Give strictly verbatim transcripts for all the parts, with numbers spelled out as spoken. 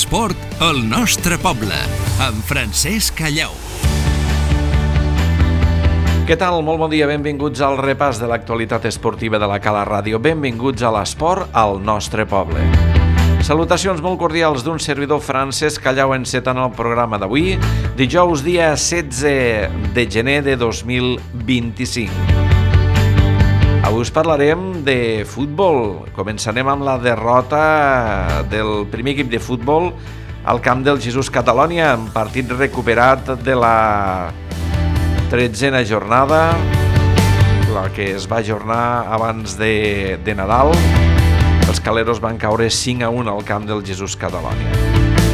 L'esport al nostre poble, amb Francesc Callau. Què tal? Molt bon dia, benvinguts al repàs de l'actualitat esportiva de la Cala Ràdio. Benvinguts a l'esport al nostre poble. Salutacions molt cordials d'un servidor Francesc Callau encetant el programa d'avui, dijous dia setze de gener de dos mil vint-i-cinc. Avui us parlarem de futbol. Començarem amb la derrota del primer equip de futbol al camp del Jesús Catalonia, en partit recuperat de la tretzena jornada, la que es va ajornar abans de, de Nadal. Els caleros van caure cinc a un al camp del Jesús Catalonia.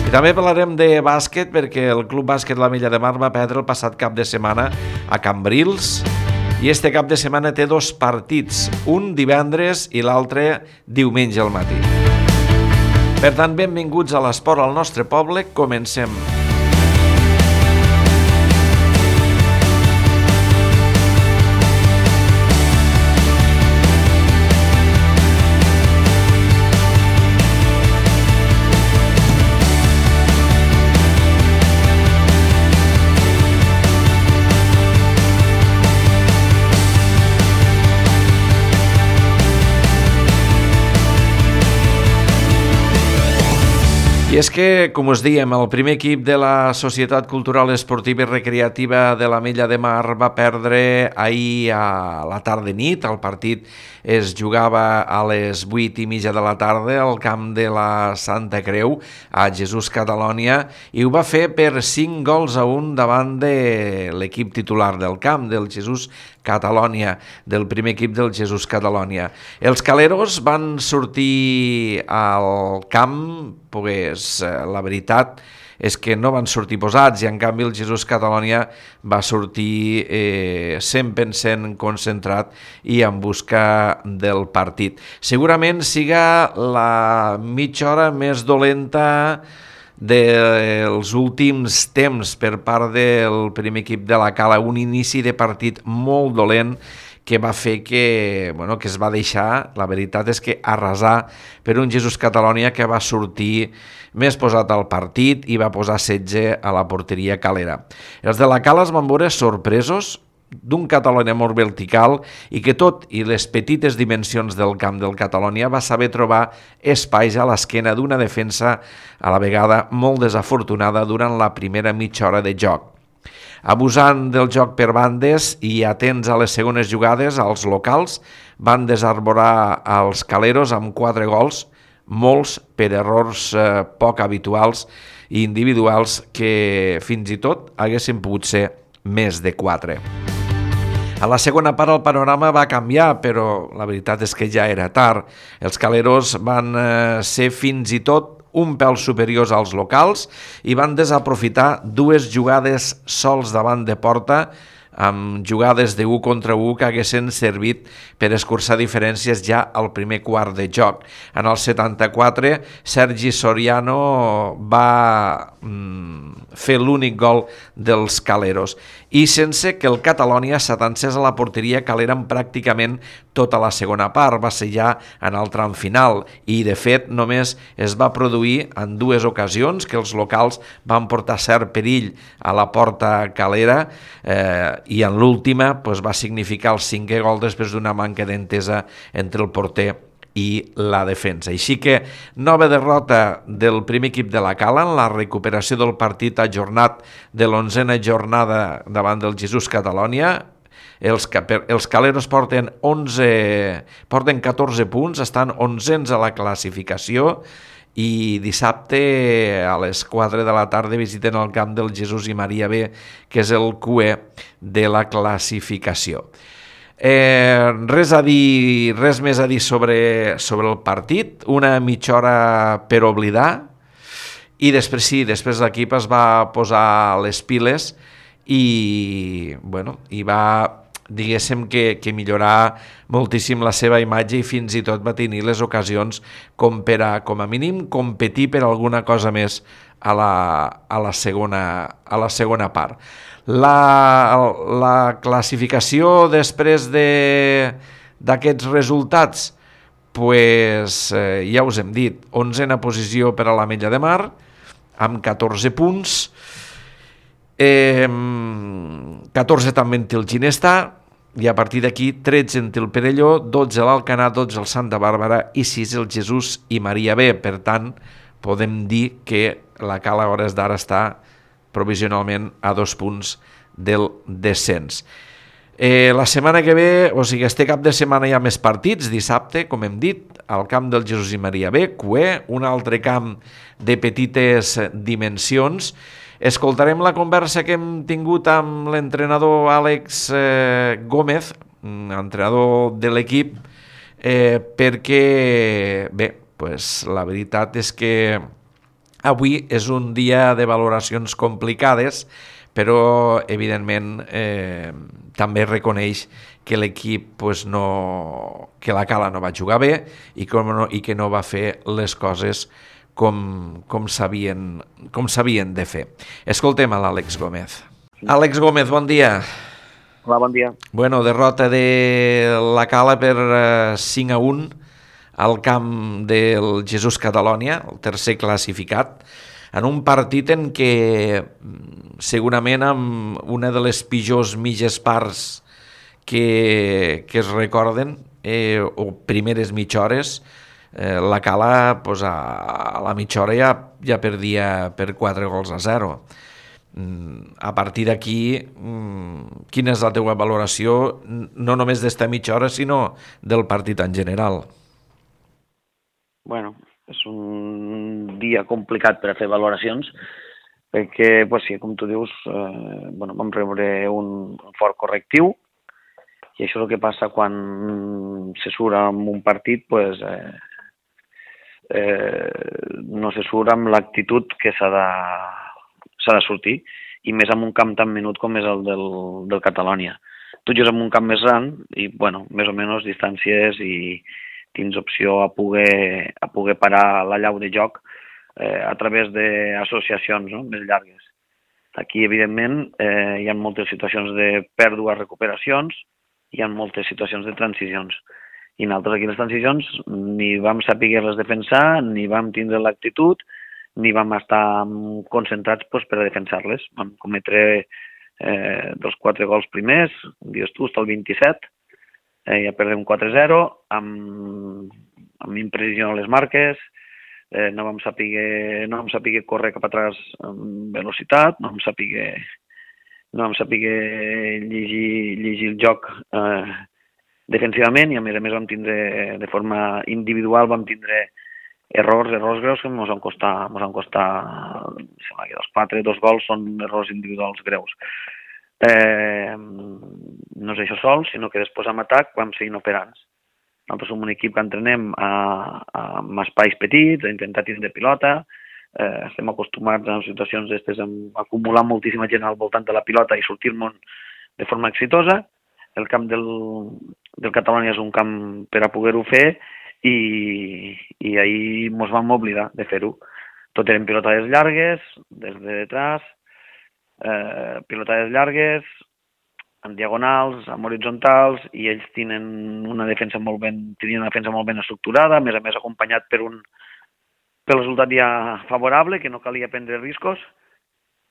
I també parlarem de bàsquet, perquè el Club Bàsquet La Milla de Mar va perdre el passat cap de setmana a Cambrils, i este cap de setmana té dos partits, un divendres i l'altre diumenge al matí. Per tant, benvinguts a l'esport al nostre poble, comencem. I és que, com us dèiem, el primer equip de la Societat Cultural Esportiva i Recreativa de la Milla de Mar va perdre ahir a la tarda nit. El partit es jugava a les vuit i mitja de la tarda al camp de la Santa Creu, a Jesús Catalonia, i ho va fer per cinc gols a un davant de l'equip titular del camp, del Jesús Catalonia, del primer equip del Jesús Catalonia. Els caleros van sortir al camp, pues, la veritat és que no van sortir posats, i en canvi el Jesús Catalonia va sortir eh, cent per cent concentrat i en busca del partit. Segurament siga la mitja hora més dolenta dels últims temps per part del primer equip de la Cala, un inici de partit molt dolent que va fer que, bueno, que es va deixar, la veritat és que arrasar per un Jesús Catalonia que va sortir més posat al partit i va posar setge a la porteria calera. Els de la Cala es van veure sorpresos d'un Catalonia molt vertical i que, tot i les petites dimensions del camp del Catalonia, va saber trobar espais a l'esquena d'una defensa a la vegada molt desafortunada durant la primera mitja hora de joc. Abusant del joc per bandes i atents a les segones jugades, els locals van desarborar els caleros amb quatre gols, molts per errors eh, poc habituals i individuals que fins i tot haguessin pogut ser més de quatre. A la segona part el panorama va canviar, però la veritat és que ja era tard. Els caleros van eh, ser fins i tot un pèl superiors als locals i van desaprofitar dues jugades sols davant de porta, amb jugades de u contra u que haguessin servit per escurçar diferències ja al primer quart de joc. En el setanta-quatre, Sergi Soriano va mm, fer l'únic gol dels caleros, i sense que el Catalonia s'atansés a la porteria calera en pràcticament tota la segona part. Va ser ja en el tram final i, de fet, només es va produir en dues ocasions que els locals van portar cert perill a la porta calera, eh, i en l'última pues, va significar el cinquè gol després d'una manca d'entesa entre el porter i la defensa. Així que nova derrota del primer equip de la Cala en la recuperació del partit ajornat de l'onzena jornada davant del Jesús Catalonia. Els, els caleros porten, onze, porten catorze punts, estan onzens a la classificació, i dissabte a les quatre de la tarda visiten el camp del Jesús i Maria B, que és el Q E de la classificació. Eh, res a dir, res més a dir sobre, sobre el partit, una mitja hora per oblidar, i després sí, després l'equip es va posar les piles i, bueno, i va, diguéssim que, que millorar moltíssim la seva imatge, i fins i tot va tenir les ocasions com per a, com a mínim, competir per alguna cosa més a la, a la, segona, a la segona part. La, la classificació després de, d'aquests resultats, pues, eh, ja us hem dit, onzena posició per a la Mella de Mar, amb catorze punts, eh, catorze també en té el Ginestà, i a partir d'aquí tretze en té el Perelló, dotze l'Alcanar, dotze el Santa Bàrbara i sis el Jesús i Maria B. Per tant, podem dir que la Cala a hores d'ara està provisionalment a dos punts del descens. Eh, la setmana que ve, o sigui, este cap de setmana hi ha més partits, dissabte, com hem dit, al camp del Jesús i Maria B, Cué, un altre camp de petites dimensions. Escoltarem la conversa que hem tingut amb l'entrenador Àlex eh, Gómez, entrenador de l'equip, eh, perquè, bé, pues, la veritat és que avui és un dia de valoracions complicades, però, evidentment, eh, també reconeix que l'equip, pues, no, que la Cala no va jugar bé i, com no, i que no va fer les coses com, com s'havien com s'havien de fer. Escoltem a l'Àlex Gómez. Àlex Gómez, bon dia. Hola, bon dia. Bueno, derrota de la Cala per uh, cinc a un al camp del Jesús Catalonia, el tercer classificat, en un partit en què segurament amb una de les pitjors mitges parts que, que es recorden, eh, o primeres mitja hores, eh, la Cala pues, a, a la mitja hora ja, ja perdia per quatre gols a zero. Mm, a partir d'aquí, mm, quina és la teua valoració, no només d'esta mitja hora, sinó del partit en general? Bueno, és un dia complicat per a fer valoracions, perquè, pues, sí, com tu dius, eh, bueno, vam rebre un fort correctiu, i això és el que passa quan se surt amb un partit, pues, eh, eh, no se surt amb l'actitud que s'ha de, s'ha de sortir, i més en un camp tan menut com és el del, del Catalonia. Tu jugues en un camp més gran i, bueno, més o menys distàncies i tens opció a poder, a poder parar la llau de joc eh, a través d'associacions, no?, més llargues. Aquí, evidentment, eh, hi ha moltes situacions de pèrdua, recuperacions, hi ha moltes situacions de transicions. I nosaltres aquí les transicions ni vam saber-les defensar, ni vam tindre l'actitud, ni vam estar concentrats pues, per a defensar-les. Vam cometre eh, dels quatre gols primers, dius tu, està el vint-i-set, eh, ja perdem quatre a zero, amb, amb imprecisió a les marques, eh, no vam saber, no vam saber córrer cap atrás amb velocitat, no vam saber, no vam saber llegir, llegir el joc eh, defensivament, i a més a més vam tindre, de forma individual, vam tindre errors, errors greus que ens van costar, ens van costar, sembla que dels quatre, dos gols són errors individuals greus. Eh, no és això sol, sinó que després en atac vam seguir operant. Nosaltres som un equip que entrenem a, a, amb espais petits, a intentar tindre pilota, eh, estem acostumats a situacions d'estes a acumular moltíssima gent al voltant de la pilota i sortir-me'n de forma exitosa. El camp del, del Catalonia és un camp per a poder-ho fer i, i ahir ens vam oblidar de fer-ho. Tot eren pilotades llargues, des de detrás, eh, pilotades llargues, en diagonals, en horitzontals, i ells tenen una defensa molt ben, tenien una defensa molt ben estructurada, a més a més acompanyat per un pel resultat ja favorable, que no calia prendre riscos,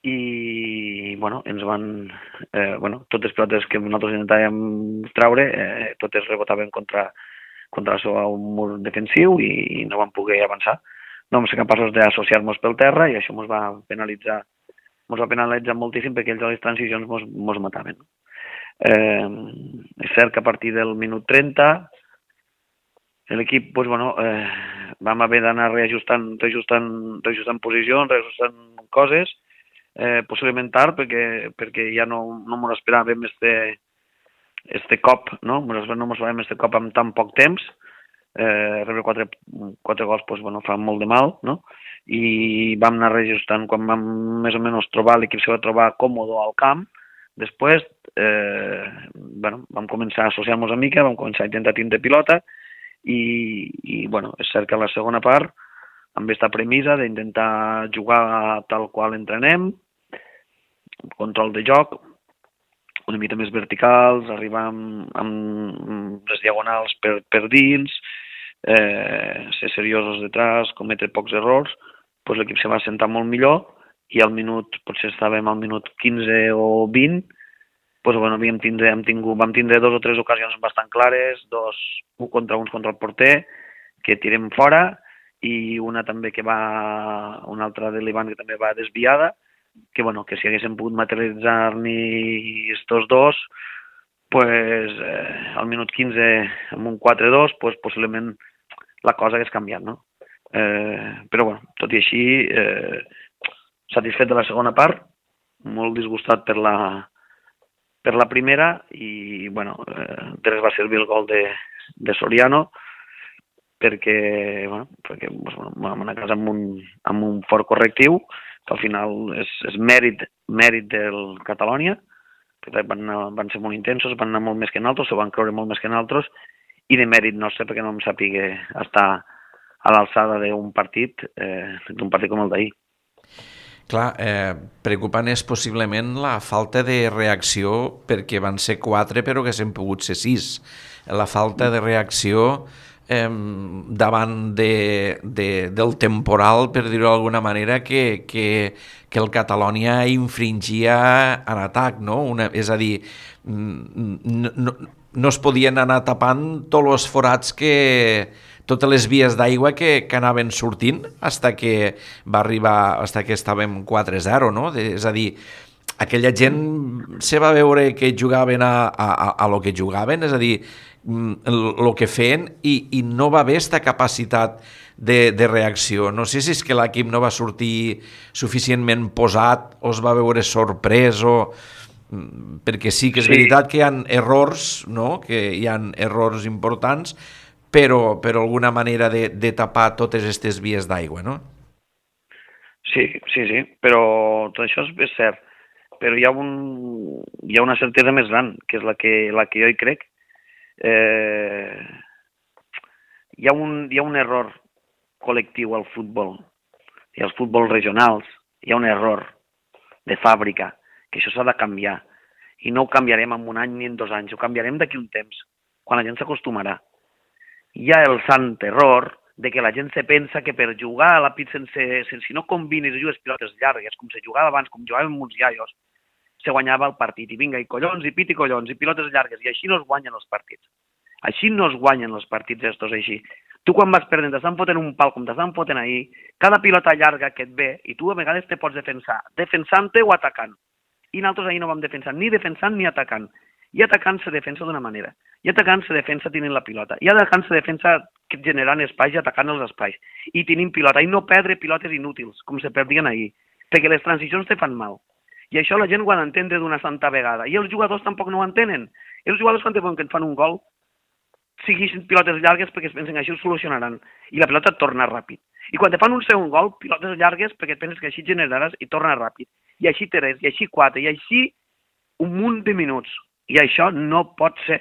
i bueno, ens van, eh, bueno, totes les pilotes que nosaltres intentàvem treure, eh, totes rebotaven contra, contra el seu mur defensiu i, i no vam poder avançar. No vam ser capaços d'associar-nos pel terra i això ens va penalitzar, ens va penalitzar moltíssim perquè ells a les transicions ens mataven. Eh, és cert que a partir del minut trenta l'equip, pues, bueno, eh, vam haver d'anar reajustant, reajustant, reajustant posicions, reajustant coses, eh, possiblement tard, perquè, perquè ja no, no m'ho esperàvem este, este cop, no? No m'ho esperàvem este cop amb tan poc temps. Eh, rebre quatre, quatre gols, pues, bueno, fa molt de mal, no? I vam anar reajustant quan vam més o menys trobar, l'equip se va trobar còmode al camp. Després, eh, bueno, vam començar a associar-nos una mica, vam començar a intentar tindre pilota, i, i bueno, és cert que a la segona part, amb aquesta premissa d'intentar jugar tal qual entrenem, control de joc, una mica més verticals, arribar amb, amb les diagonals per, per dins, eh, ser seriosos detrás, cometre pocs errors, doncs l'equip se va assentar molt millor i al minut, potser estàvem al minut quinze o vint, doncs, bueno, havíem tindre, hem tingut, vam tindre dos o tres ocasions bastant clares, dos un contra uns contra el porter, que tirem fora, i una també que va, una altra de l'Ivan que també va desviada, que, bueno, que si haguéssim pogut materialitzar-n'hi estos dos, pues, eh, al minut quinze amb un quatre dos, pues, possiblement la cosa hagués canviat, no? Eh, però, bueno, tot i així, eh, satisfet de la segona part, molt disgustat per la, per la primera, i, bueno, eh, de res va servir el gol de, de Soriano, perquè, bueno, perquè bueno, vam anar a casa amb un, amb un fort correctiu, que al final és, és mèrit, mèrit del Catalònia, que van, anar, van ser molt intensos, van anar molt més que nosaltres, s'ho van creure molt més que nosaltres, i de mèrit nostre, perquè no em sàpiga estar a l'alçada d'un partit, eh, d'un partit com el d'ahir. Clar, eh, preocupant és possiblement la falta de reacció, perquè van ser quatre però que s'han pogut ser sis. La falta de reacció eh, davant de, de, del temporal, per dir-ho d'alguna manera, que, que, que el Catalònia infringia en atac, no? Una, és a dir, no, no, no es podien anar tapant tots els forats que... totes les vies d'aigua que, que anaven sortint fins que va arribar, fins que estàvem quatre zero, no? De, és a dir, aquella gent se va veure que jugaven a, a, a lo que jugaven, és a dir, el que feien, i, i no va haver aquesta capacitat de, de reacció. No sé si és que l'equip no va sortir suficientment posat o es va veure sorprès o... perquè sí que és sí. veritat que hi ha errors, no? Que hi ha errors importants, però per alguna manera de, de tapar totes aquestes vies d'aigua, no? Sí, sí, sí, però tot això és, és cert. Però hi ha, un, hi ha una certesa més gran, que és la que, la que jo hi crec. Eh, hi, ha un, hi ha un error col·lectiu al futbol, i als futbols regionals. Hi ha un error de fàbrica, que això s'ha de canviar. I no ho canviarem en un any ni en dos anys, ho canviarem d'aquí un temps, quan la gent s'acostumarà. Hi ha el sant error de que la gent se pensa que per jugar a la pit sense, sense si no combines i jugues pilotes llargues, com se jugava abans, com jugàvem uns iaios, se guanyava el partit. I vinga, i collons, i pit i collons, i pilotes llargues, i així no es guanyen els partits. Així no es guanyen els partits estos així. Tu quan vas perdent, t'estan fotent un pal com t'estan fotent ahir, cada pilota llarga que et ve, i tu a vegades te pots defensar, defensant-te o atacant. I nosaltres ahir no vam defensar, ni defensant ni atacant. I atacant se defensa d'una manera. I atacant se defensa tenint la pilota. I atacant se defensa generant espais i atacant els espais. I tenint pilota. I no perdre pilotes inútils, com se perdien ahir. Perquè les transicions te fan mal. I això la gent ho ha d'entendre d'una santa vegada. I els jugadors tampoc no ho entenen. Els jugadors quan que et fan un gol, siguin pilotes llargues perquè es pensen que així ho solucionaran. I la pilota et torna ràpid. I quan te fan un segon gol, pilotes llargues perquè et penses que així generaràs i torna ràpid. I així tres, i així quatre, i així un munt de minuts. I això no pot ser.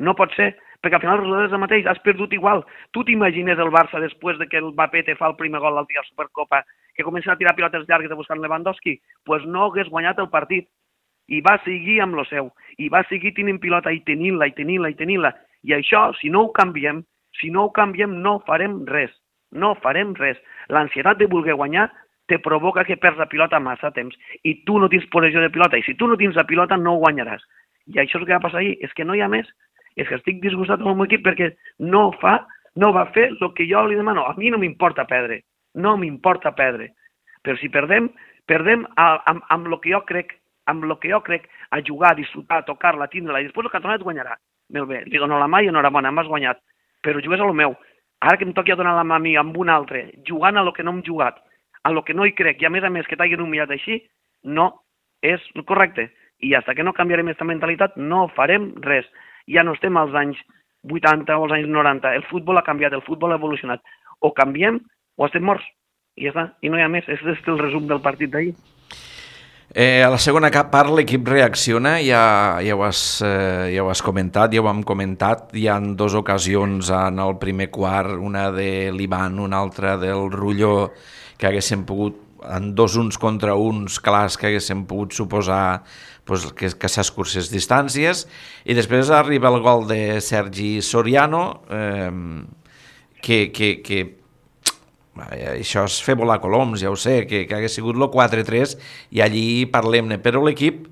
No pot ser, perquè al final el resultat és el mateix. Has perdut igual. Tu t'imagines el Barça després de que el Mbappé te fa el primer gol l'altre dia a la Supercopa, que comença a tirar pilotes llargues a buscar Lewandowski? Doncs pues no hagués guanyat el partit. I va seguir amb lo seu. I va seguir tenint pilota i tenint-la, i tenint-la, i tenint-la. I això, si no ho canviem, si no ho canviem, no farem res. No farem res. L'ansietat de voler guanyar te provoca que perds la pilota massa temps. I tu no tens possessió de pilota. I si tu no tens la pilota, no ho guanyaràs. I això és el que va passar ahir, és que no hi ha més. És que estic disgustat amb el meu equip perquè no fa, no va fer el que jo li demano. A mi no m'importa perdre, no m'importa perdre. Però si perdem, perdem a, amb, amb el que jo crec, amb el que jo crec, a jugar, a disfrutar, a tocar-la, a tindre-la, i després el Català et guanyarà. Molt bé, li dono la mà i enhorabona, m'has guanyat, però jugues a lo meu. Ara que em toqui a donar la mà a mi amb un altre, jugant a lo que no hem jugat, a lo que no hi crec, i a més a més que t'hagin humillat així, no és correcte. I fins que no canviarem aquesta mentalitat no farem res. Ja no estem als anys vuitanta o als anys noranta. El futbol ha canviat, el futbol ha evolucionat. O canviem o estem morts. I ja està, i no hi ha més. Aquest és el resum del partit d'ahir. Eh, a la segona part l'equip reacciona, ja, ja, ho has, eh, ja ho has comentat, ja ho hem comentat. Hi ha dues ocasions en el primer quart, una de l'Ivan, una altra del Rulló, que haguessin pogut, en dos uns contra uns clars que haguessin pogut suposar pues, que, que s'escurcés distàncies, i després arriba el gol de Sergi Soriano, eh, que, que, que això és fer volar coloms, ja ho sé, que, que hagués sigut el quatre tres i allí parlem-ne, però l'equip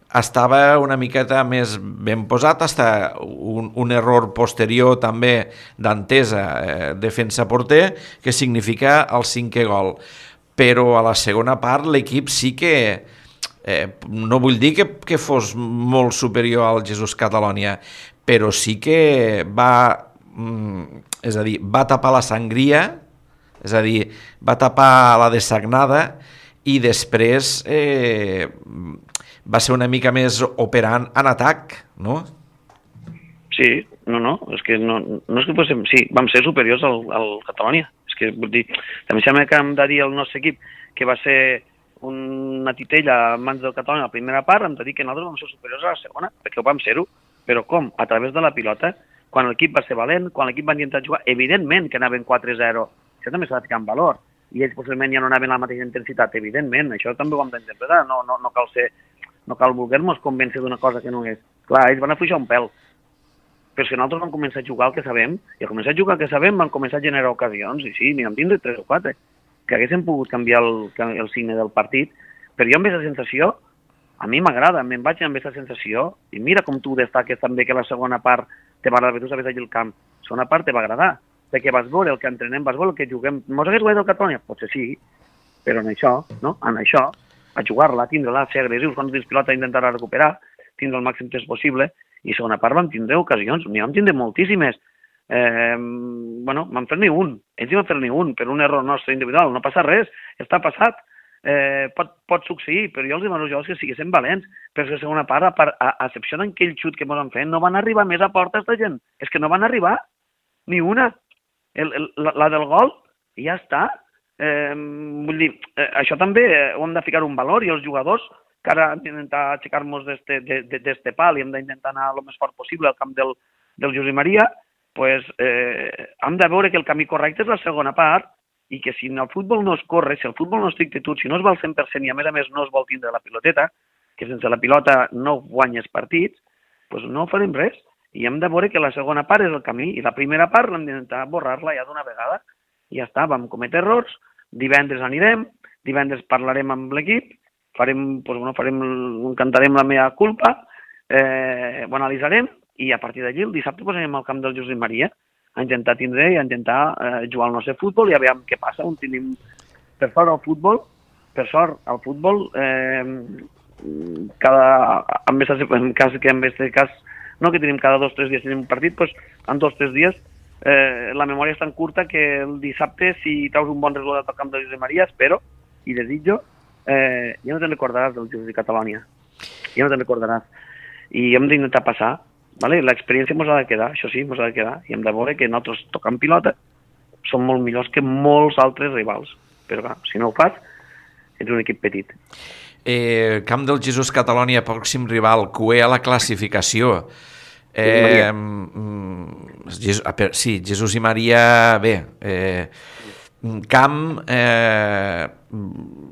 estava una miqueta més ben posat, hasta un, un error posterior també d'Antesa, eh, defensa-porter, que significa el cinquè gol. Però a la segona part l'equip sí que, eh, no vull dir que, que fos molt superior al Jesús Catalònia, però sí que va, mm, és a dir, va tapar la sangria, és a dir, va tapar la dessagnada i després eh, va ser una mica més operant en atac, no? Sí, no, no, és que no, no és que fóssim, sí, vam ser superiors al, al Catalònia. És que, vull dir, també sembla que hem de dir al nostre equip que va ser una titella a mans del Catalònia a la primera part, hem de dir que nosaltres vam ser superiors a la segona, perquè ho vam ser-ho. Però com? A través de la pilota, quan l'equip va ser valent, quan l'equip va intentar jugar, evidentment que anaven quatre zero, això també s'ha de ficar en valor, i ells possiblement ja no anaven a la mateixa intensitat, evidentment, això també ho hem d'interpretar, no, no, no cal ser no cal voler-nos convèncer d'una cosa que no és. Clar, ells van afluixar un pèl. Però si nosaltres vam començar a jugar el que sabem, i al començar a jugar el que sabem vam començar a generar ocasions, i sí, n'hi vam tindre tres o quatre, que haguessin pogut canviar el, el signe del partit, però jo amb aquesta sensació, a mi m'agrada, me'n vaig amb aquesta sensació, i mira com tu destaques també que la segona part te va agradar, perquè tu sabies allà el camp, la segona part te va agradar, perquè vas veure el que entrenem, vas veure el que juguem, mos hagués guanyat el Catalunya? Potser sí, però en això, no? En això, a jugar-la, a tindre-la, a ser agressius, quan tens pilota, intentar recuperar, tindre el màxim temps possible, i segona part vam tindre ocasions, n'hi vam tindre moltíssimes. Eh, bueno, vam fer ni un, ells hi van fer ni un, per un error nostre individual, no passa res, està passat, eh, pot, pot succeir, però jo els demano jo que siguessin valents, però la segona part, a, part, a, a excepció d'aquell xut que ens han fet, no van arribar més a portes de gent, és que no van arribar, ni una, el, el, la, la del gol, i ja està. Eh, vull dir, eh, això també eh, ho hem de ficar un valor, i els jugadors que ara hem d'intentar aixecar-nos d'este pal i hem d'intentar anar el més fort possible al camp del, del Josep Maria, pues, eh, hem de veure que el camí correcte és la segona part i que si el futbol no es corre, si el futbol no es tot, si no es va al cent per cent i a més a més no es vol tindre la piloteta, que sense la pilota no guanyes partits, pues no farem res i hem de veure que la segona part és el camí i la primera part l'hem d'intentar borrar-la ja d'una vegada i ja està, vam cometre errors. Divendres anirem, divendres parlarem amb l'equip, farem, pues, bueno, farem, cantarem la meva culpa, eh, ho analitzarem i a partir d'allí el dissabte posarem al camp del Josep Maria a intentar tindre i a intentar eh, jugar al nostre futbol i a veure què passa. On tenim, per sort, el futbol, per sort, el futbol, eh, cada, en, en cas que en aquest cas, no que tenim cada dos o tres dies tenim un partit, doncs en dos o tres dies Eh, la memòria és tan curta que el dissabte, si treus un bon resultat al camp de Josep Maria, espero i desitjo, eh, ja no te'n recordaràs del Josep de Catalònia, ja no te'n recordaràs. I hem d'intentar passar, ¿vale? L'experiència ens ha de quedar, això sí, ens ha de quedar, i hem de veure que nosaltres tocant pilota som molt millors que molts altres rivals, però clar, si no ho fas, ets un equip petit. Eh, camp del Jesús Catalònia, pròxim rival, cué a la classificació. Eh, Jesús, sí, Jesús i Maria, bé, eh, camp, eh,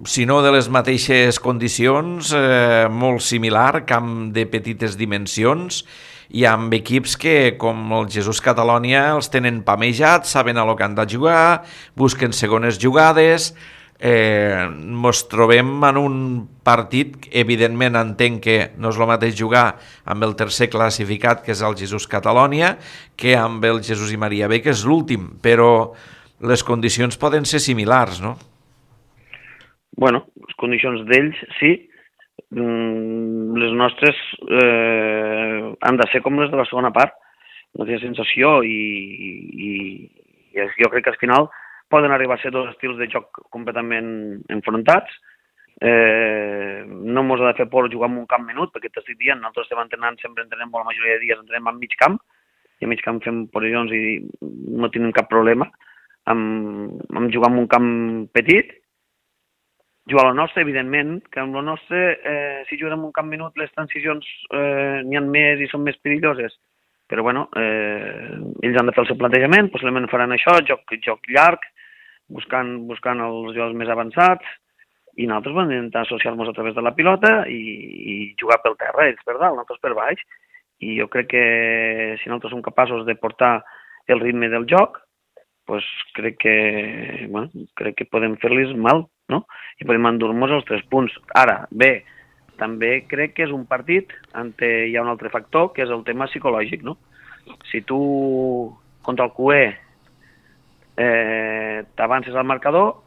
si no de les mateixes condicions, eh, molt similar, camp de petites dimensions, i amb equips que, com el Jesús Catalònia, els tenen pamejats, saben a lo que han de jugar, busquen segones jugades. Eh, mos trobem en un partit, evidentment entenc que no és el mateix jugar amb el tercer classificat, que és el Jesús Catalònia, que amb el Jesús i Maria B, que és l'últim, però les condicions poden ser similars, no? Bueno, les condicions d'ells sí, les nostres eh, han de ser com les de la segona part, no té sensació i, i, i jo crec que al final poden arribar a ser dos estils de joc completament enfrontats. Eh, no ens ha de fer por jugar en un camp menut, perquè t'estic dient, nosaltres estem entrenant, sempre entrenem, la majoria de dies entrenem en mig camp, i a mig camp fem posicions i no tenim cap problema amb, amb jugar en un camp petit. Jugar a lo nostre, evidentment, que amb lo nostre, eh, si juguem en un camp menut, les transicions eh, n'hi ha més i són més perilloses. Però, bueno, eh, ells han de fer el seu plantejament, possiblement faran això, joc, joc llarg, buscant, buscant els jugadors més avançats, i nosaltres vam intentar associar-nos a través de la pilota i, i jugar pel terra, ells per dalt, nosaltres per baix, i jo crec que si nosaltres som capaços de portar el ritme del joc, pues crec que, bueno, crec que podem fer-los mal, no? I podem endur-nos els tres punts. Ara, bé, també crec que és un partit on hi ha un altre factor, que és el tema psicològic, no? Si tu, contra el Q E, eh, t'avances al marcador,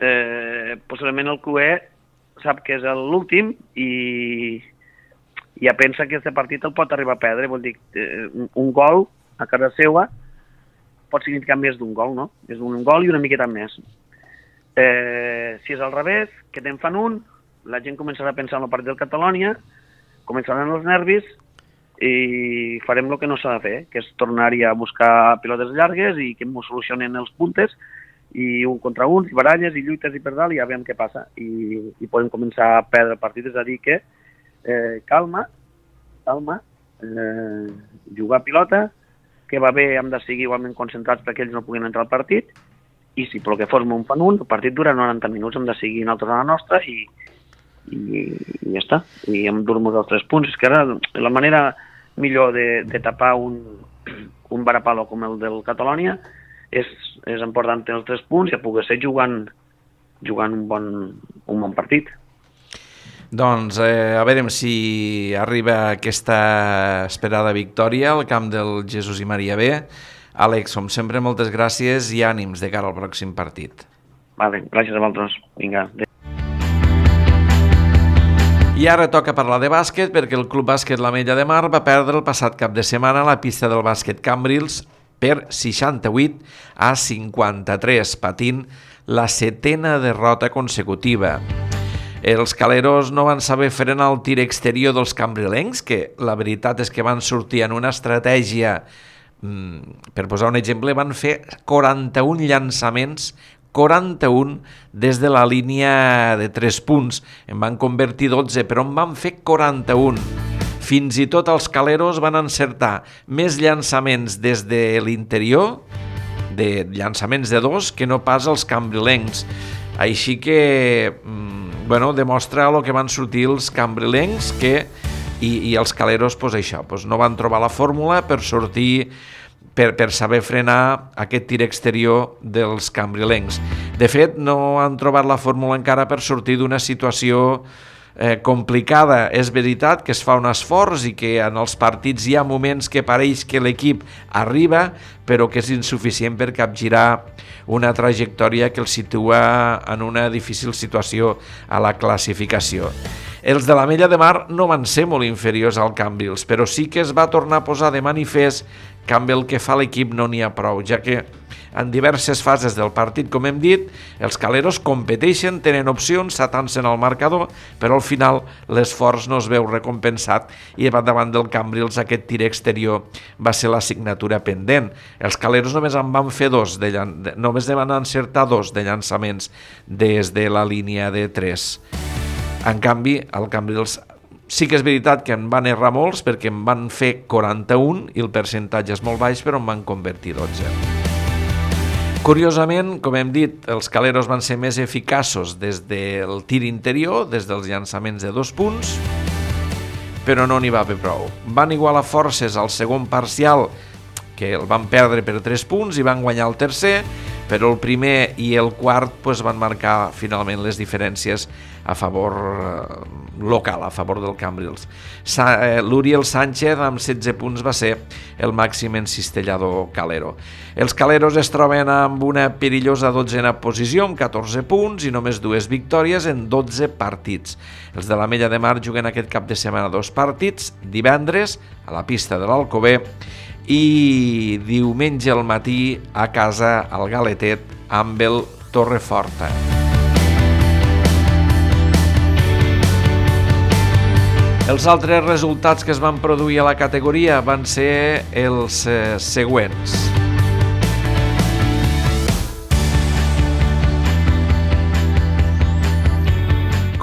eh, possiblement el Q E sap que és l'últim i ja pensa que aquest partit el pot arribar a perdre. Vol dir, eh, un gol a casa seva pot significar més d'un gol, no? És un gol i una miqueta més. Eh, si és al revés, que te'n fan un, la gent començarà a pensar en el partit del Catalònia, començaran els nervis i farem el que no s'ha de fer, que és tornar-hi a buscar pilotes llargues i que ens solucionen els puntes i un contra un, i baralles i lluites i per dalt i ja veiem què passa i, i podem començar a perdre el partit. És a dir que eh, calma, calma, eh, jugar a pilota, que va bé, hem de seguir igualment concentrats perquè ells no puguin entrar al partit i si pel que fos un fan un, el partit dura noranta minuts, hem de seguir nosaltres a la nostra i, i, i ja està, i hem dur-nos els tres punts. És que ara la manera millor de, de tapar un, un varapalo com el del Catalònia és, és important els tres punts i a poder ser jugant, jugant un, bon, un bon partit. Doncs eh, a veure si arriba aquesta esperada victòria al camp del Jesús i Maria B. Àlex, com sempre, moltes gràcies i ànims de cara al pròxim partit. Vale, gràcies a vosaltres. Vinga. I ara toca parlar de bàsquet perquè el Club Bàsquet l'Ametlla de Mar va perdre el passat cap de setmana a la pista del bàsquet Cambrils per seixanta-vuit a cinquanta-tres, patint la setena derrota consecutiva. Els caleros no van saber frenar el tir exterior dels cambrilencs, que la veritat és que van sortir en una estratègia, per posar un exemple, van fer quaranta-un llançaments, quaranta-un des de la línia de tres punts. En van convertir dotze, però en van fer quaranta-un. Fins i tot els caleros van encertar més llançaments des de l'interior, de llançaments de dos, que no pas els cambrilencs. Així que, bueno, demostra el que van sortir els cambrilencs que, i, i els caleros, pues això, pues no van trobar la fórmula per sortir, per, per saber frenar aquest tir exterior dels cambrilencs. De fet, no han trobat la fórmula encara per sortir d'una situació Eh, complicada. És veritat que es fa un esforç i que en els partits hi ha moments que pareix que l'equip arriba, però que és insuficient per capgirar una trajectòria que el situa en una difícil situació a la classificació. Els de l'Ametlla de Mar no van ser molt inferiors al Cambrils, però sí que es va tornar a posar de manifest que amb el que fa l'equip no n'hi ha prou, ja que en diverses fases del partit, com hem dit, els caleros competeixen, tenen opcions, s'atancen al marcador, però al final l'esforç no es veu recompensat i davant del Cambrils aquest tir exterior va ser la signatura pendent. Els caleros només en van fer dos, de llan... només van encertar dos de llançaments des de la línia de tres. En canvi, el Cambrils sí que és veritat que en van errar molts perquè en van fer quaranta-un i el percentatge és molt baix, però en van convertir dotze. Curiosament, com hem dit, els caleros van ser més eficaços des del tir interior, des dels llançaments de dos punts, però no n'hi va haver prou. Van igualar forces al segon parcial, que el van perdre per tres punts i van guanyar el tercer, però el primer i el quart pues, van marcar finalment les diferències a favor eh, local, a favor del Cambrils. Sa, eh, L'Uriel Sánchez amb setze punts va ser el màxim encistellador calero. Els caleros es troben amb una perillosa dotzena posició amb catorze punts i només dues victòries en dotze partits. Els de l'Ametlla de Mar juguen aquest cap de setmana dos partits, divendres a la pista de l'Alcover i diumenge al matí a casa al Galetet amb el Torreforta. Els altres resultats que es van produir a la categoria van ser els eh, següents.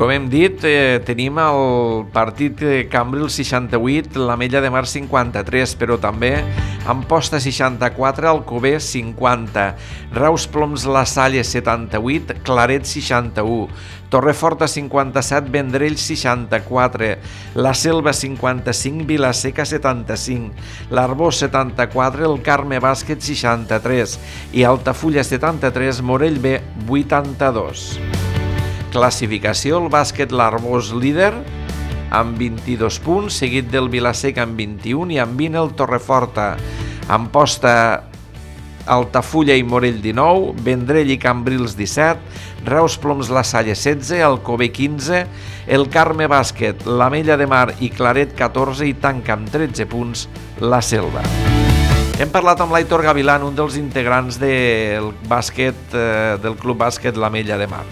Com hem dit, eh, tenim el partit Cambrils seixanta-vuit, l'Ametlla de Mar cinquanta-tres, però també Amposta seixanta-quatre, Alcover cinquanta, Reus Ploms La Salle setanta-vuit, Claret seixanta-u, Torreforta cinquanta-set, Vendrell seixanta-quatre, La Selva cinquanta-cinc, Vilaseca setanta-cinc, l'Arbós setanta-quatre, el Carme Bàsquet seixanta-tres i Altafulla setanta-tres, Morell B vuitanta-dos. Classificació, el bàsquet l'Arbós líder amb vint-i-dos punts, seguit del Vilaseca amb vint-i-un i amb vint el Torreforta. Amposta, Altafulla i Morell dinou, Vendrell i Cambrils disset, Reus Ploms La Salle setze, Alcover quinze, el Carme Bàsquet, l'Ametlla de Mar i Claret catorze i tanca amb tretze punts la Selva. Hem parlat amb l'Aitor Gavilán, un dels integrants del bàsquet, eh, del Club Bàsquet l'Ametlla de Mar.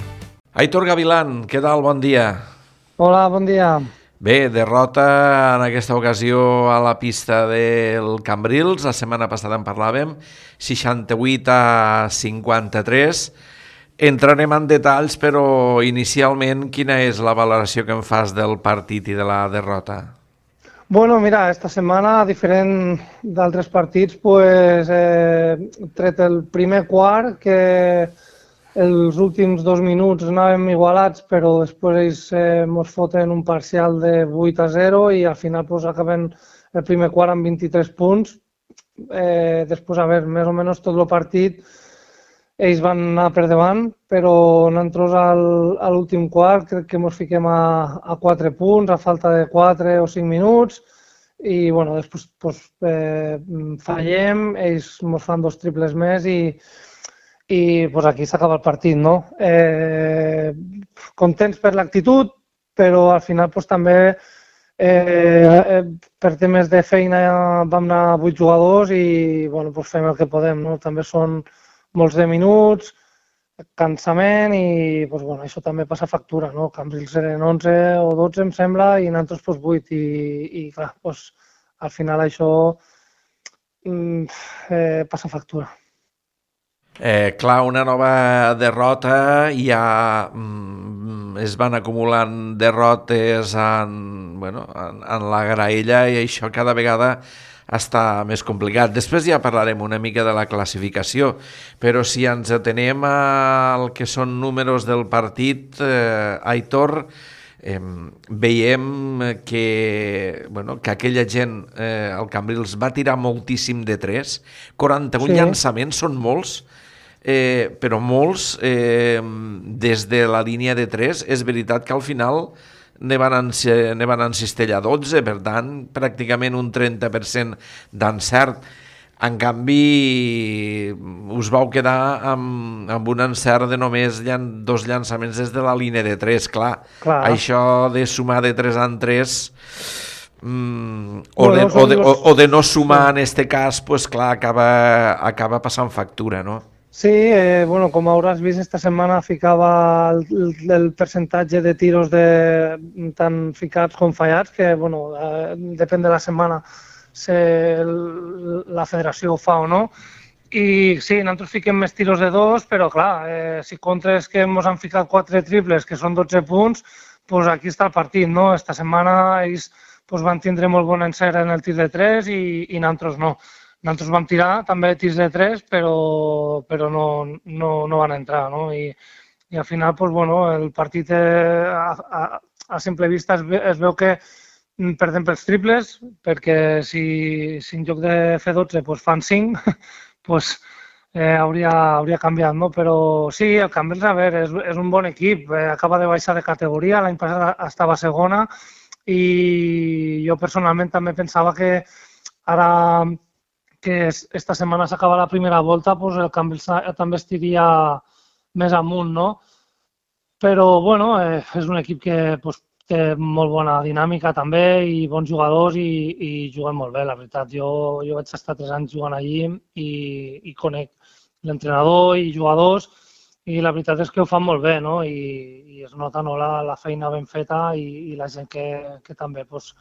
Aitor Gavilán, què tal? Bon dia. Hola, bon dia. Bé, derrota en aquesta ocasió a la pista del Cambrils, la setmana passada en parlàvem, seixanta-vuit a cinquanta-tres. Entrarem en detalls, però inicialment quina és la valoració que em fas del partit i de la derrota? Bueno, mira, esta setmana, a diferent d'altres partits, pues, eh, tret el primer quart, que els últims dos minuts anàvem igualats, però després ells eh, mos foten un parcial de vuit a zero i al final pues, acaben el primer quart amb vint-i-tres punts. Eh, després, a veure, més o menys tot el partit ells van anar per davant, però nosaltres al, a l'últim quart crec que ens fiquem a, a quatre punts, a falta de quatre o cinc minuts, i bueno, després pues, eh, fallem, ells ens fan dos triples més i i pues, aquí s'acaba el partit, no? Eh, contents per l'actitud, però al final pues, també eh, per temes de feina vam anar vuit jugadors i bueno, pues, fem el que podem, no? També són molts de minuts, cansament i pues, bueno, això també passa factura, no? Cambrils eren onze o dotze, em sembla, i nosaltres pues, vuit i, i clar, pues, al final això eh, passa factura. Eh, clar, una nova derrota, ja mm, es van acumulant derrotes en, bueno, en, en la graella i això cada vegada està més complicat. Després ja parlarem una mica de la classificació, però si ens atenem al que són números del partit, eh, Aitor, eh, veiem que, bueno, que aquella gent, eh, el Cambrils, va tirar moltíssim de tres, quaranta-un sí. llançaments, són molts, Eh, però molts eh, des de la línia de tres. És veritat que al final ne van, en, ne van encistellar dotze, per tant pràcticament un trenta per cent d'encert. En canvi us vau quedar amb, amb un encert de només llan, dos llançaments des de la línia de tres. Clar, Clar. Això de sumar de tres en tres mm, o, bueno, de, o, de, o, o de no sumar en este cas, pues clar, acaba, acaba passant factura, no? Sí, eh, bueno, com hauràs vist, esta setmana ficava el, el percentatge de tiros de, tant ficats com fallats, que bueno, eh, depèn de la setmana si la federació ho fa o no. I sí, nosaltres fiquem més tiros de dos, però clar, eh, si contres que ens han ficat quatre triples, que són dotze punts, pues aquí està el partit, no? Esta setmana ells pues, van tindre molt bon encert en el tir de tres i, i nosaltres no. Nosaltres vam tirar també tirs de tres, però, però no, no, no van entrar, no? I, i al final, pues, bueno, el partit eh, a, a, a simple vista es, ve, es veu que perdem pels triples, perquè si, si en lloc de fer dotze pues, fan cinc, pues, eh, hauria, hauria canviat, no? Però sí, el Cambrils, a veure, és, és un bon equip, eh, acaba de baixar de categoria, l'any passat estava segona i jo personalment també pensava que ara que esta setmana s'acaba la primera volta, pues el Cambrils també estiria més amunt, no? Però, bueno, eh, és un equip que pues, té molt bona dinàmica també i bons jugadors i, i juguem molt bé, la veritat. Jo, jo vaig estar tres anys jugant allí i, i conec l'entrenador i jugadors i la veritat és que ho fan molt bé, no? I, i es nota no, la, la feina ben feta i, i la gent que, que també, pues,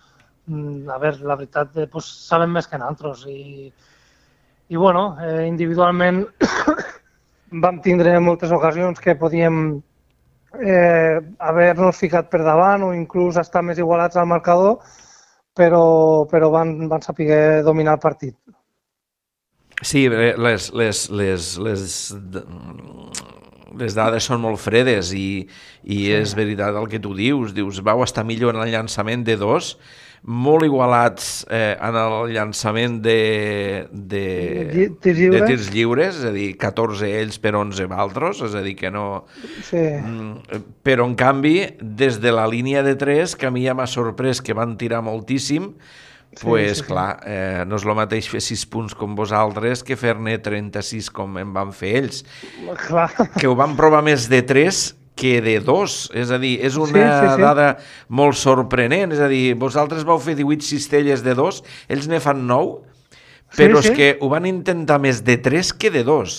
a veure, la veritat, pues, saben més que nosaltres i I, bueno, eh, individualment vam tindre moltes ocasions que podíem eh, haver-nos ficat per davant o inclús estar més igualats al marcador, però, però van, van saber dominar el partit. Sí, les, les, les, les, les dades són molt fredes i, i sí. És veritat el que tu dius. Dius, vau estar millor en el llançament de dos, molt igualats eh, en el llançament de, de, tirs lliures. de tirs lliures, és a dir, catorze ells per onze valtros, és a dir, que no... Sí. Però, en canvi, des de la línia de tres, que a mi ja m'ha sorprès que van tirar moltíssim, doncs, pues, sí, sí, clar, eh, no és el mateix fer sis punts com vosaltres que fer-ne trenta-sis com en van fer ells. Clar. Que ho van provar més de tres que de dos, és a dir, és una sí, sí, sí. dada molt sorprenent, és a dir, vosaltres vau fer divuit cistelles de dos, ells ne fan nou, però sí, és sí. que ho van intentar més de tres que de dos.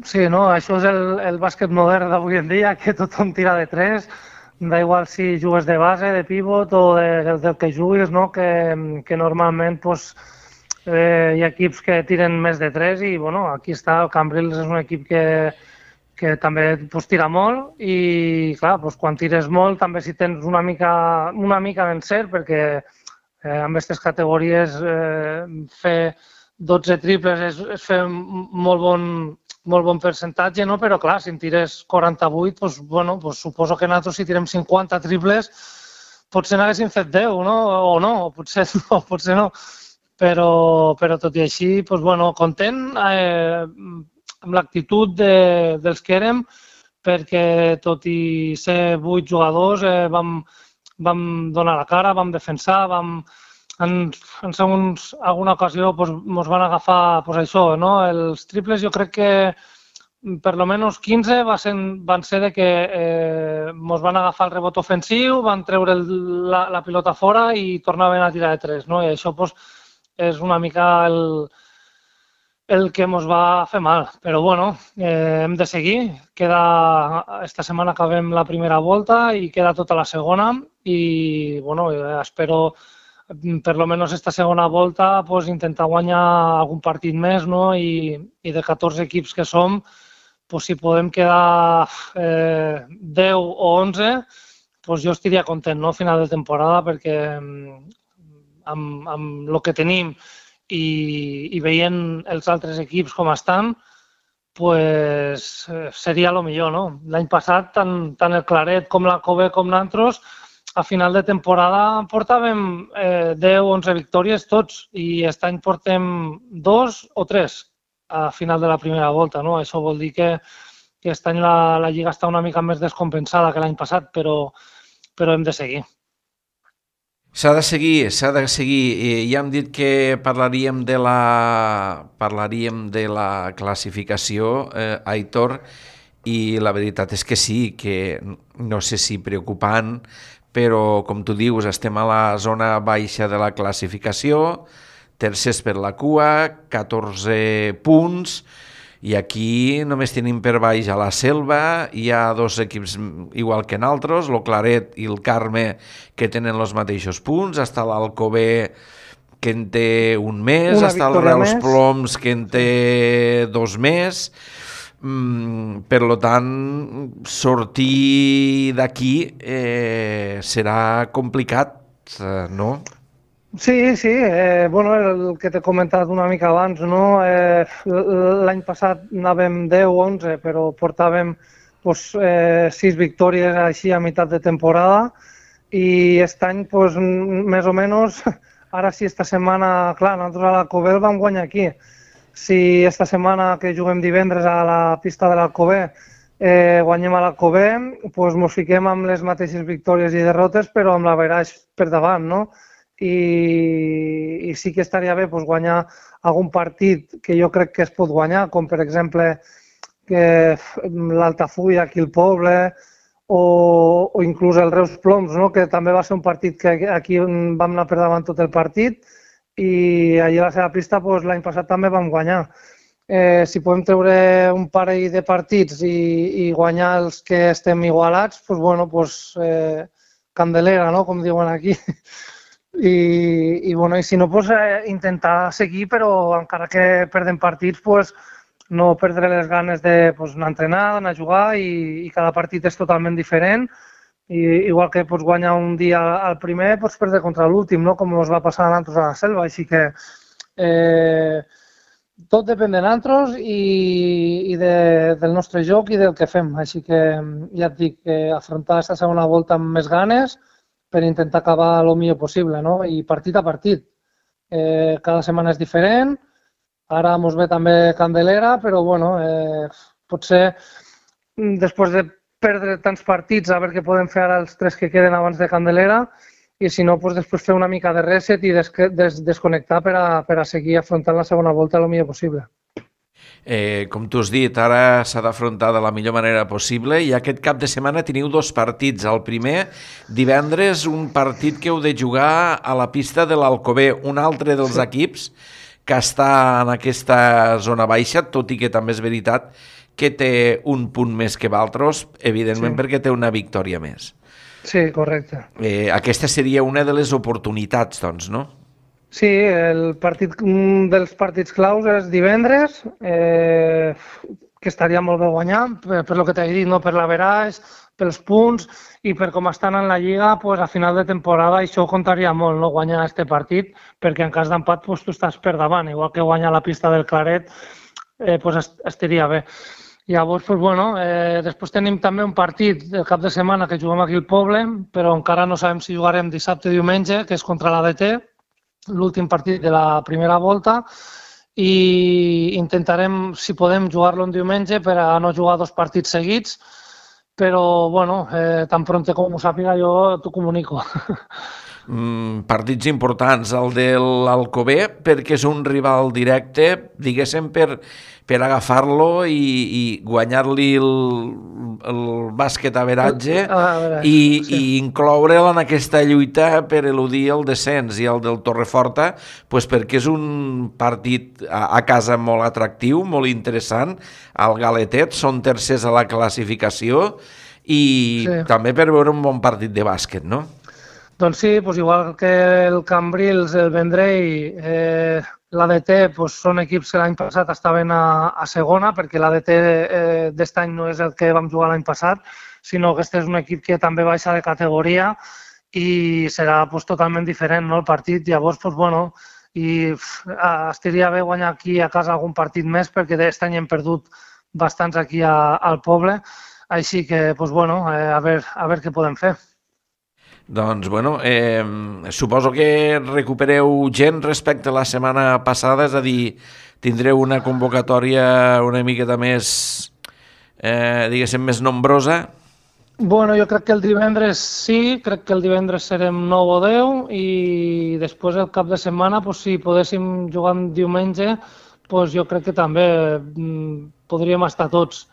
Sí, no, això és el, el bàsquet modern d'avui en dia, que tothom tira de tres, da igual si jugues de base, de pivot o de, del que juguis, no? que, que normalment pues, eh, hi ha equips que tiren més de tres i bueno, aquí està, el Cambrils és un equip que que també pues, tira molt i, clar, pues, quan tires molt també si tens una mica, una mica d'encert, perquè eh, amb aquestes categories eh, fer dotze triples és, és fer molt bon, molt bon percentatge, no? Però, clar, si en tires quaranta-vuit, pues, bueno, pues, suposo que nosaltres si tirem cinquanta triples potser n'haguéssim fet deu, no? O no, o potser no, potser no. Però, però tot i així, pues, bueno, content, eh, amb l'actitud de, dels que érem, perquè tot i ser vuit jugadors eh, vam, vam donar la cara, vam defensar, vam, en, en segons alguna ocasió ens doncs, van agafar doncs, això, no? Els triples jo crec que per lo menos quinze va ser, van ser de que eh, ens van agafar el rebot ofensiu, van treure el, la, la pilota fora i tornaven a tirar de tres, no? I això doncs, és una mica el el que ens va fer mal, però bueno, eh, hem de seguir. Queda, esta setmana acabem la primera volta i queda tota la segona i bueno, espero per lo menos esta segona volta pues, intentar guanyar algun partit més, no? I, i de catorze equips que som, pues, si podem quedar eh, deu o onze, pues, jo estaria content, no? A final de temporada, perquè amb, amb el que tenim I, i veient els altres equips com estan, pues, seria el millor, no? L'any passat, tant, tant el Claret com la Cove com nosaltres, a final de temporada portàvem eh, deu o onze victòries tots i aquest any portem dos o tres a final de la primera volta, no? Això vol dir que, que aquest any la, la Lliga està una mica més descompensada que l'any passat, però, però hem de seguir. S'ha de seguir, s'ha de seguir. Ja hem dit que parlaríem de la, parlaríem de la classificació, eh, Aitor, i la veritat és que sí, que no sé si preocupant, però com tu dius, estem a la zona baixa de la classificació, tercers per la cua, catorze punts, i aquí només tenim per baix a la Selva, hi ha dos equips igual que nosaltres, el Claret i el Carme, que tenen els mateixos punts, està l'Alcover que en té un més, Una està el Reus més. Ploms que en té dos més, mm, per tant, sortir d'aquí eh, serà complicat, eh, no? Sí, sí, eh, bueno, el que t'he comentat una mica abans, no? Eh, l'any passat anàvem deu o onze, però portàvem pues, eh, sis victòries així a meitat de temporada i aquest any, pues, més o menys, ara sí, esta setmana, clar, nosaltres a l'Alcover vam guanyar aquí. Si esta setmana que juguem divendres a la pista de l'Alcover eh, guanyem a l'Alcover, pues, mos fiquem amb les mateixes victòries i derrotes, però amb l'averaix per davant, no? I, i sí que estaria bé pues, guanyar algun partit que jo crec que es pot guanyar, com per exemple l'Altafulla aquí al poble o, o inclús el Reus Ploms, no? Que també va ser un partit que aquí vam anar per davant tot el partit i allà a la seva pista pues, l'any passat també vam guanyar. Eh, si podem treure un parell de partits i, i guanyar els que estem igualats, pues, bueno, pues, eh, candelera, no? Com diuen aquí. I, i, bueno, i si no, pues, eh, intentar seguir, però encara que perdem partits, pues, no perdre les ganes de pues, anar a entrenar, anar a jugar i, i cada partit és totalment diferent. I, igual que pots guanyar un dia al primer, pots perdre contra l'últim, no? Com ens va passar a nosaltres a la Selva. Així que eh, tot depèn de nosaltres i, i de, del nostre joc i del que fem. Així que ja et dic, eh, afrontar aquesta segona volta amb més ganes per intentar acabar el millor possible, no? I partit a partit. Eh, cada setmana és diferent. Ara ens ve també Candelera, però bueno, eh, potser després de perdre tants partits, a veure què podem fer ara els tres que queden abans de Candelera i si no, doncs després fer una mica de reset i des des desconnectar per a, per a seguir afrontant la segona volta el millor possible. Eh, com tu has dit, ara s'ha d'afrontar de la millor manera possible i aquest cap de setmana teniu dos partits. El primer, divendres, un partit que heu de jugar a la pista de l'Alcover, un altre dels sí. equips que està en aquesta zona baixa, tot i que també és veritat que té un punt més que d'altres, evidentment sí. perquè té una victòria més. Sí, correcte. Eh, aquesta seria una de les oportunitats, doncs, no? Sí, el partit, un dels partits claus és divendres, eh, que estaria molt bé guanyar, per, per lo que t'he dit, no? Per l'averaix, pels punts i per com estan en la Lliga, pues, a final de temporada això contaria molt, no? Guanyar aquest partit, perquè en cas d'empat pues, tu estàs per davant, igual que guanyar la pista del Claret, eh, pues, estaria bé. Llavors, pues, bueno, eh, després tenim també un partit del cap de setmana que juguem aquí al poble, però encara no sabem si jugarem dissabte o diumenge, que és contra l'A D T, l'últim partit de la primera volta, i intentarem, si podem, jugar-lo un diumenge per a no jugar dos partits seguits, però, bueno, eh, tan pronte com ho sàpiga jo t'ho comunico. Mm, partits importants, el de l'Alcover, perquè és un rival directe, diguéssim, per, per agafar-lo i, i guanyar-li el, el bàsquet averatge ah, i, sí. i incloure'l en aquesta lluita per eludir el descens. I el del Torreforta, pues perquè és un partit a, a casa molt atractiu, molt interessant, al Galetet, són tercers a la classificació i sí. també per veure un bon partit de bàsquet, no? Doncs sí, doncs igual que el Cambrils, el Vendrell, eh, l'A D T doncs són equips que l'any passat estaven a, a segona, perquè l'A D T eh, d'aquest any no és el que vam jugar l'any passat, sinó que aquest és un equip que també baixa de categoria i serà doncs, totalment diferent, no, el partit. Llavors, doncs, bueno, i pff, estaria bé guanyar aquí a casa algun partit més, perquè d'aquest any hem perdut bastants aquí a, al poble, així que, doncs, bueno, eh, a veure, a veure què podem fer. Doncs, bueno, eh, suposo que recupereu gent respecte a la setmana passada, és a dir, tindreu una convocatòria una miqueta més, eh, diguéssim, més nombrosa? Bueno, jo crec que el divendres sí, crec que el divendres serem nou o deu i després el cap de setmana, pues, si podéssim jugar un diumenge, pues, jo crec que també podríem estar tots.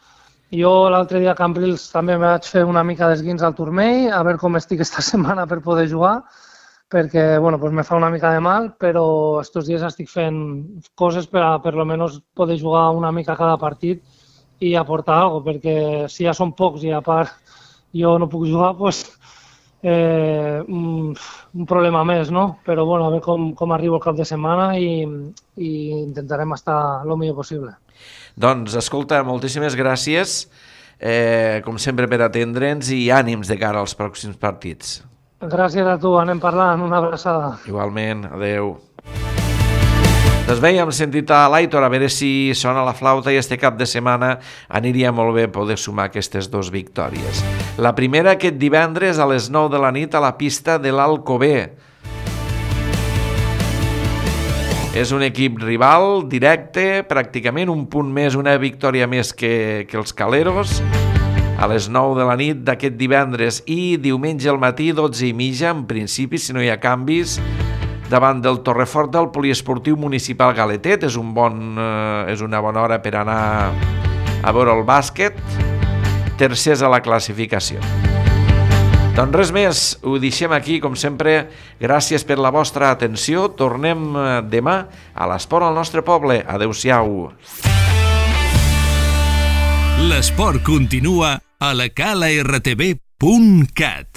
Jo l'altre dia a Cambrils també me vaig fer una mica d'esguins al turmell, a veure com estic esta setmana per poder jugar, perquè bueno, pues me fa una mica de mal, però estos dies estic fent coses per a per lo menos poder jugar una mica cada partit i aportar alguna cosa, perquè si ja són pocs i a part jo no puc jugar, pues, eh, un, un problema més, no? Però bueno, a veure com, com arribo el cap de setmana i, i intentarem estar el millor possible. Doncs, escolta, moltíssimes gràcies, eh, com sempre, per atendre'ns i ànims de cara als pròxims partits. Gràcies a tu, anem parlant, una abraçada. Igualment, adeu. Doncs bé, hem sentit a l'Aitor, a veure si sona la flauta i este cap de setmana aniria molt bé poder sumar aquestes dues victòries. La primera aquest divendres a les nou de la nit a la pista de l'Alcover. És un equip rival, directe, pràcticament un punt més, una victòria més que, que els Caleros, a les nou de la nit d'aquest divendres i diumenge al matí, dotze i mitja, en principi, si no hi ha canvis, davant del Torreforta, al poliesportiu municipal Galetet. És, un bon, eh, és una bona hora per anar a veure el bàsquet, tercers a la classificació. Doncs res més, ho deixem aquí, com sempre. Gràcies per la vostra atenció. Tornem demà a l'Esport al nostre poble. Adéu-siau. L'esport continua a la cala r t v punt cat.